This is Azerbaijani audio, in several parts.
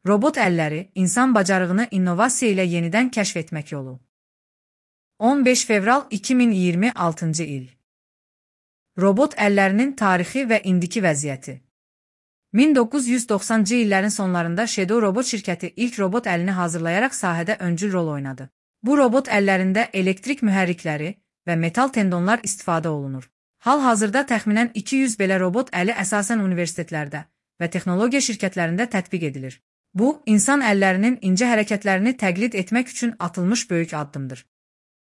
Robot əlləri, insan bacarığını innovasiya ilə yenidən kəşf etmək yolu. 15 fevral 2026-cı il. Robot əllərinin tarixi və indiki vəziyyəti. 1990-cı illərin sonlarında Shadow Robot şirkəti ilk robot əlini hazırlayaraq sahədə öncül rol oynadı. Bu robot əllərində elektrik mühərrikləri və metal tendonlar istifadə olunur. Hal-hazırda təxminən 200 belə robot əli əsasən universitetlərdə və texnologiya şirkətlərində tətbiq edilir. Bu, insan əllərinin incə hərəkətlərini təqlid etmək üçün atılmış böyük addımdır.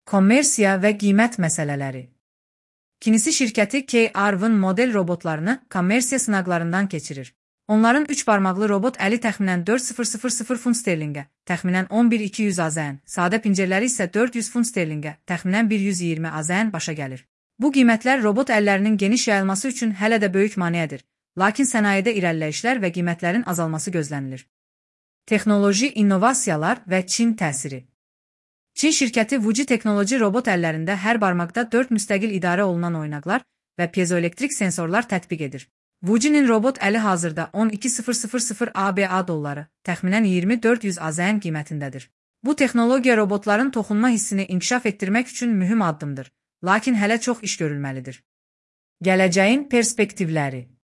Kommersiya və qiymət məsələləri. Kinisi şirkəti K-Arvin model robotlarını kommersiya sınaqlarından keçirir. Onların 3 barmaqlı robot əli təxminən 4000 funt sterlingə, təxminən 11200 AZN, sadə pincərləri isə 400 funt sterlingə, təxminən 120 AZN başa gəlir. Bu qiymətlər robot əllərinin geniş yayılması üçün hələ də böyük maneədir, lakin sənayedə irəliləyişlər və qiymətlərin azalması gözlənilir. Texnoloji innovasiyalar və Çin təsiri. Çin şirkəti Wuji Technology robot əllərində hər barmaqda 4 müstəqil idarə olunan oynaqlar və piezoelektrik sensorlar tətbiq edir. Wuji'nin robot əli hazırda 12.000 ABA dolları, təxminən 2400 AZN qiymətindədir. Bu texnologiya robotların toxunma hissini inkişaf etdirmək üçün mühüm addımdır, lakin hələ çox iş görülməlidir. Gələcəyin perspektivləri.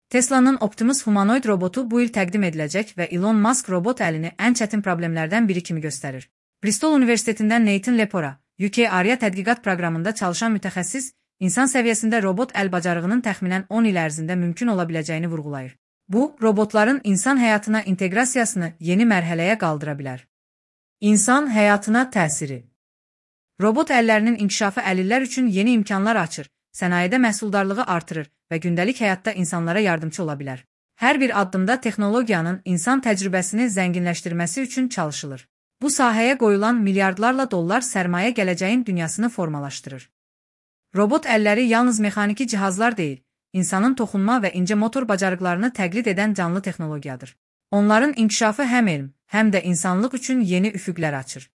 Tesla'nın Optimus humanoid robotu bu il təqdim ediləcək və Elon Musk robot əlini ən çətin problemlərdən biri kimi göstərir. Bristol Universitetindən Nathan Lepora, UK Arya tədqiqat proqramında çalışan mütəxəssis, insan səviyyəsində robot əl bacarığının təxminən 10 il ərzində mümkün ola biləcəyini vurğulayır. Bu, robotların insan həyatına inteqrasiyasını yeni mərhələyə qaldıra bilər. İnsan həyatına təsiri. Robot əllərinin inkişafı əlillər üçün yeni imkanlar açır, sənayedə məhsuldarlığı artırır və gündəlik həyatda insanlara yardımcı ola bilər. Hər bir addımda texnologiyanın insan təcrübəsini zənginləşdirməsi üçün çalışılır. Bu sahəyə qoyulan milyardlarla dollar sərmayə gələcəyin dünyasını formalaşdırır. Robot əlləri yalnız mexaniki cihazlar deyil, insanın toxunma və incə motor bacarıqlarını təqlid edən canlı texnologiyadır. Onların inkişafı həm elm, həm də insanlıq üçün yeni üfüqlər açır.